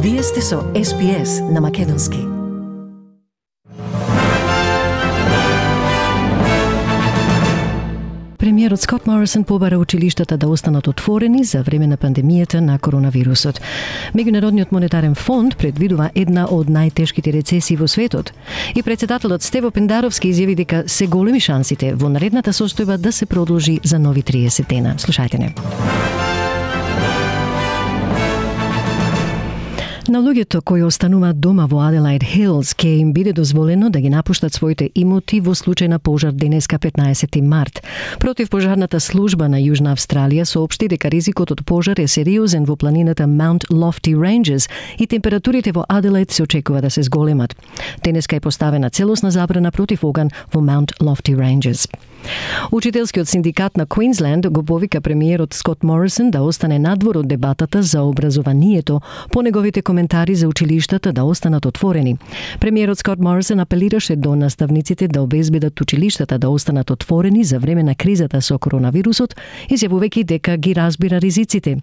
Вие сте со SPS на Македонски. Премиерот Скот Морисон побара училиштата да останат отворени за време на пандемијата на коронавирусот. Меѓународниот монетарен фонд предвидува една од најтешките рецесии во светот. И председателот Стево Пендаровски изјави дека се големи шансите во наредната состојба да се продолжи за нови 30 дена. Слушајте не. На луѓето кои остануваат дома во Adelaide Hills ќе им биде дозволено да ги напуштат своите имоти во случај на пожар денеска 15 март. Противпожарната служба на Јужна Австралија соопшти дека ризикот од пожар е сериозен во планината Mount Lofty Ranges и температурите во Adelaide се очекува да се зголемат. Денеска е поставена целосна забрана против оган во Mount Lofty Ranges. Учителскиот синдикат на Квинсленд го повика премиерот Скот Морисон да остане надвор од дебатата за образованието по неговите коментари за училиштата да останат отворени. Премиерот Скот Морисон апелираше до наставниците да обезбедат училиштата да останат отворени за време на кризата со коронавирусот, изјавувајќи дека ги разбира ризиците.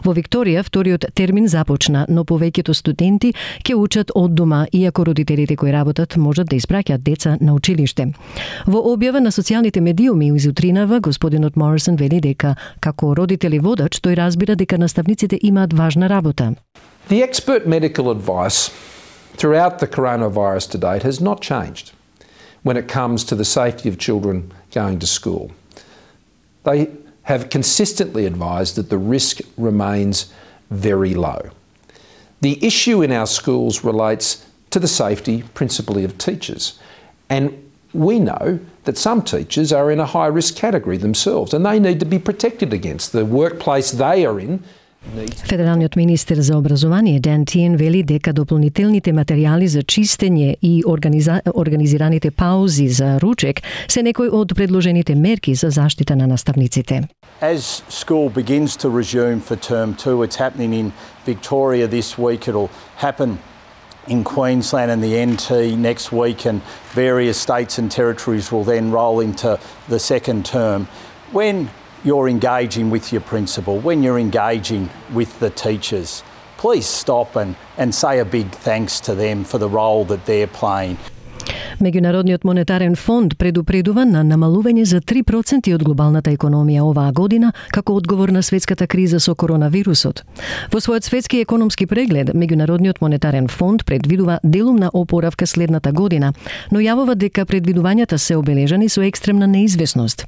Во Викторија вториот термин започна, но повеќето студенти ќе учат од дома, иако родителите кои работат можат да испраќаат деца на училиште. Во објава на социјалните медиуми изутринава, господинот Морисон вели дека како родители водач тој разбира дека наставниците имаат важна работа. The expert medical advice throughout the coronavirus to date has not changed when it comes to the safety of children going to school. They have consistently advised that the risk remains very low. The issue in our schools relates to the safety principally of teachers, and we know that some teachers are in a high-risk category themselves and they need to be protected against the workplace they are in. Федералниот министер за образование Дан Тиен вели дека дополнителните материјали за чистење и организираните паузи за ручек се некои од предложените мерки за заштита на наставниците. As school begins to resume for term 2, it's happening in Victoria this week. It'll happen in Queensland and the NT next week, and various states and territories will then roll into the second term. When you're engaging with your principal, when you're engaging with the teachers, please stop and say a big thanks to them for the role that they're playing. Меѓународниот монетарен фонд предупредува на намалување за 3% од глобалната економија оваа година како одговор на светската криза со коронавирусот. Во својот светски економски преглед, Меѓународниот монетарен фонд предвидува делумна опоравка следната година, но јавува дека предвидувањата се обележани со екстремна неизвестност.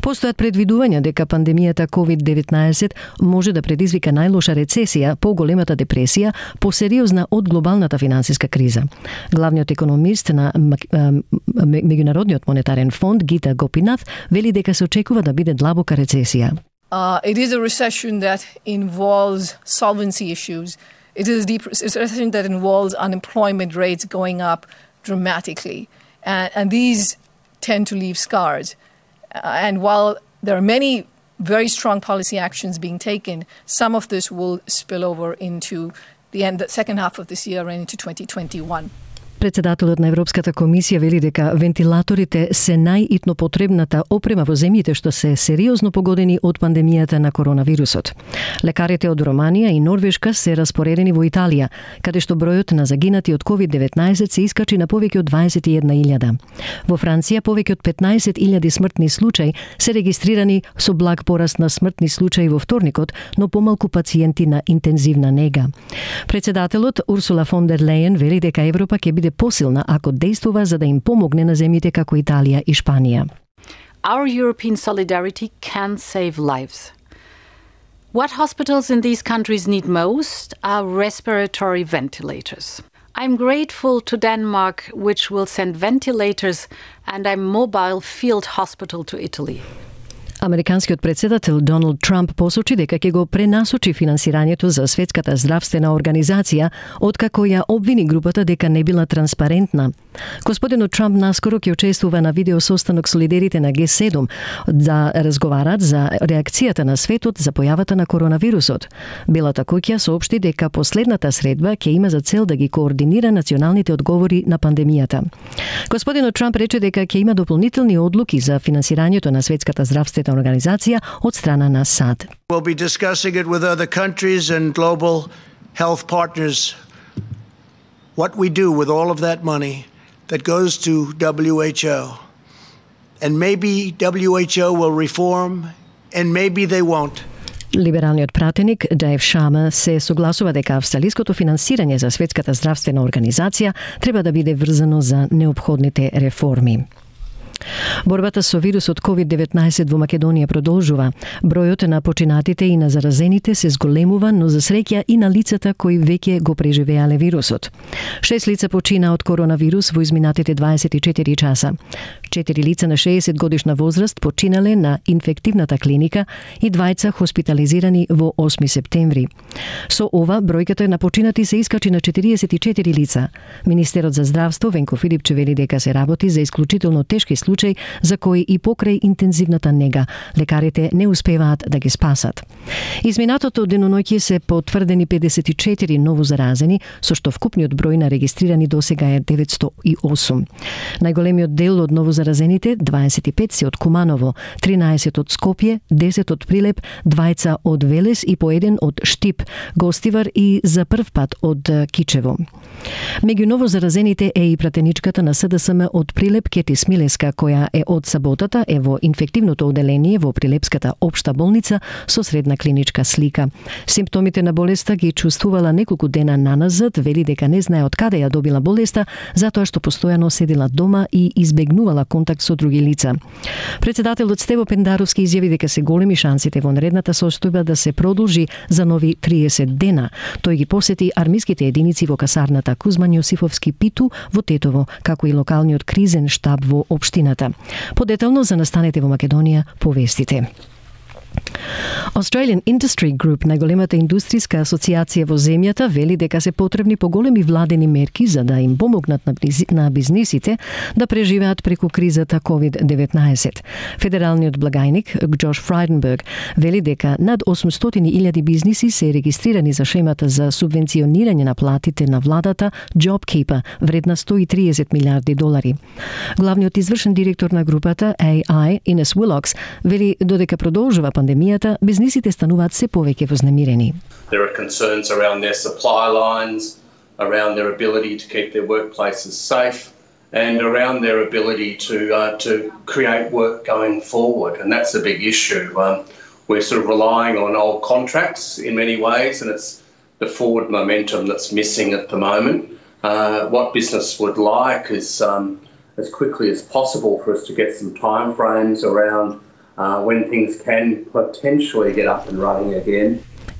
Постојат предвидувања дека пандемијата COVID-19 може да предизвика најлоша рецесија, поголемата депресија, посериозна од глобалната финансиска криза. Главниот економист на Меѓународниот монетарен фонд Гита Гопинат вели дека се очекува да биде длабока рецесија. It is a recession that involves solvency issues. It is a recession that involves unemployment rates going up dramatically. And these tend to leave scars. And while there are many very strong policy actions being taken, some of this will spill over into the second half of this year and into 2021. Председателот на Европската комисија вели дека вентилаторите се најитно потребната опрема во земјите што се сериозно погодени од пандемијата на коронавирусот. Лекарите од Романија и Норвешка се распоредени во Италија, каде што бројот на загинати од COVID-19 се искачи на повеќе од 21.000. Во Франција повеќе од 15.000 смртни случаи се регистрирани со благ пораст на смртни случаи во вторникот, но помалку пациенти на интензивна нега. Председателот Урсула фон дер Лејен вели дека Европа ќе биде посилна ако действува за да им помогне на земјите како Италија и Шпанија. Our European solidarity can save lives. What hospitals in these countries need most are respiratory ventilators. I'm grateful to Denmark, which will send ventilators and a mobile field hospital to Italy. Американскиот председател Доналд Трамп посочи дека ќе го пренасочи финансирањето за Светската здравствена организација, откако ја обвини групата дека не била транспарентна. Господинот Трамп наскоро ќе учествува на видеосостанок со лидерите на Г7 да разговарат за реакцијата на светот за појавата на коронавирусот. Белата куќа соопшти дека последната средба ќе има за цел да ги координира националните одговори на пандемијата. Господинот Трамп рече дека ќе има дополнителни одлуки за финансирањето на Светската здравствена организација од страна на САД. We'll be discussing it with other countries and global health partners what we do with all of that money that goes to WHO. And maybe WHO will reform, and maybe they won't. Либералниот пратеник Дајв Шама се согласува дека австралиското финансирање за Светската здравствена организација треба да биде врзано за неопходните реформи. Борбата со вирусот COVID-19 во Македонија продолжува. Бројот на починатите и на заразените се зголемува, но за среќа и на лицата кои веќе го преживеале вирусот. 6 лица почина од коронавирус во изминатите 24 часа. 4 лица на 60 годишна возраст починале на инфективната клиника и 2 хоспитализирани во 8 септември. Со ова, бројката на починати се искачи на 44 лица. Министерот за здравство Венко Филипче вели дека се работи за исклучително тешки случаи за кои и покрај интензивната нега лекарите не успеваат да ги спасат. Изминатото деноноќе се потврдени 54 ново заразени, со што вкупниот број на регистрирани досега е 908. Најголемиот дел од ново заразените, 25 се од Куманово, 13 од Скопје, 10 од Прилеп, 2 од Велес и по 1 од Штип, Гостивар и за прв пат од Кичево. Меѓу ново заразените е и пратеничката на СДСМ од Прилеп Кети Смилеска, која е од саботата е во инфективното оделение во Прилепската општа болница со средна клиничка слика. Симптомите на болеста ги чувствувала неколку дена наназад, вели дека не знае од каде ја добила болеста, затоа што постојано седела дома и избегнувала контакт со други лица. Председателот Стево Пендаровски изјави дека се големи шансите во наредната состојба да се продолжи за нови 30 дена. Тој ги посети армиските единици во касарната Кузман Јосифовски Питу во Тетово, како и локалниот кризен штаб во општината. Подетално за настанете во Македонија повестите. Australian Industry Group, најголемата индустријска асоциација во земјата, вели дека се потребни поголеми владени мерки за да им помогнат на бизнисите да преживеат преку кризата COVID-19. Федералниот благајник Джош Фрайденберг вели дека над 800.000 бизниси се регистрирани за шемата за субвенционирање на платите на владата JobKeeper, вредна $130 милиарди. Главниот извршен директор на групата AI, Ines Willox, вели додека продолжува пандемијата, бизнисите стануваат се повеќе вознемирени. There are concerns around their supply lines, around their ability to keep their workplaces safe, and around their ability to create work going forward, and that's a big issue. We're sort of relying on old contracts in many ways, and it's the forward momentum that's missing at the moment. What business would like is as quickly as possible for us to get some time frames around when things can potentially get up and running again.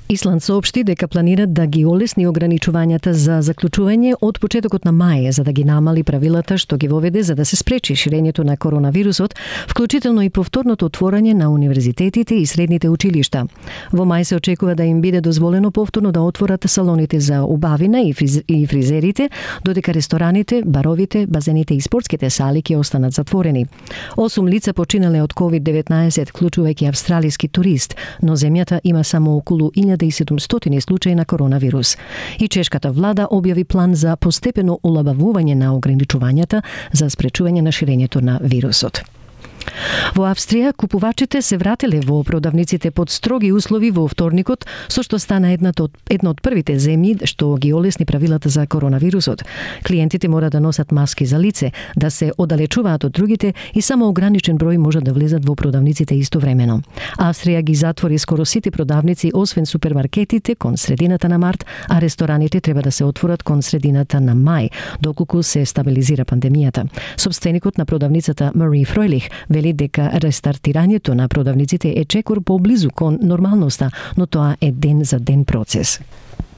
Исланд соопшти дека планират да ги олесни ограничувањата за заклучување од почетокот на мај, за да ги намали правилата што ги воведе за да се спречи ширењето на коронавирусот, вклучително и повторното отворање на универзитетите и средните училишта. Во мај се очекува да им биде дозволено повторно да отворат салоните за убавина и фризерите, додека рестораните, баровите, базените и спортските сали ќе останат затворени. 8 лица починале од COVID-19, вклучувајќи австралиски турист, но земјата има само околу 1700 случаи на коронавирус. И чешката влада објави план за постепено олабавување на ограничувањата за спречување на ширењето на вирусот. Во Австрија, купувачите се вратиле во продавниците под строги услови во вторникот, со што стана една од првите земји што ги олесни правилата за коронавирусот. Клиентите мора да носат маски за лице, да се оддалечуваат од другите и само ограничен број може да влезат во продавниците истовремено. Австрија ги затвори скоро сите продавници, освен супермаркетите, кон средината на март, а рестораните треба да се отворат кон средината на мај, доколку се стабилизира пандемијата. Собственикот на продавницата Мари Фройлих вели дека рестартирањето на продавниците е чекор поблизу кон нормалноста, но тоа е ден за ден процес.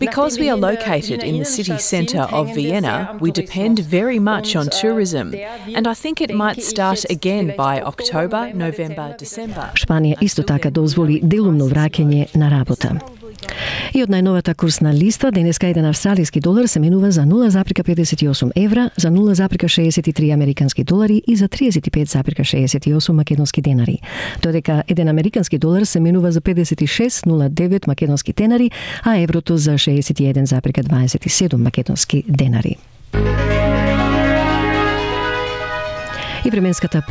Because we are located in the city centre of Vienna, we depend very much on tourism, and I think it might start again by October, November, December. Шпанија исто така дозволи делумно враќање на работа. И од најновата курсна листа, денеска еден австралиски долар се менува за 0,58 евра, за 0,63 американски долари и за 35,68 македонски денари. Додека еден американски долар се менува за 56,09 македонски денари, а еврото за 61,27 македонски денари. И временската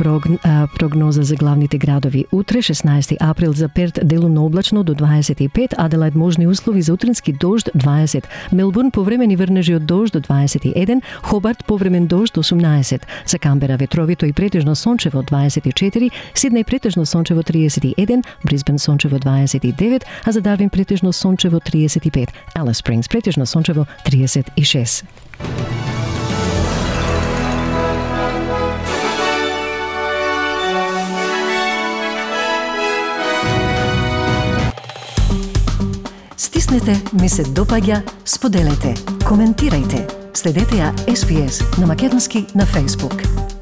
прогноза за главните градови. Утре, 16 април, за Перт делумно облачно до 25, Аделаид можни услови за утрински дожд 20, Мелбурн повремени врнежи од дожд до 21, Хобарт повремен дожд 18, за Камбера ветровито и претежно сончево 24, Сиднеј претежно сончево 31, Брисбен сончево 29, а за Дарвин претежно сончево 35, Алис Спрингс претежно сончево 36. Стиснете, ми се допаѓа, споделете, коментирајте. Следете ја SPS на македонски на Facebook.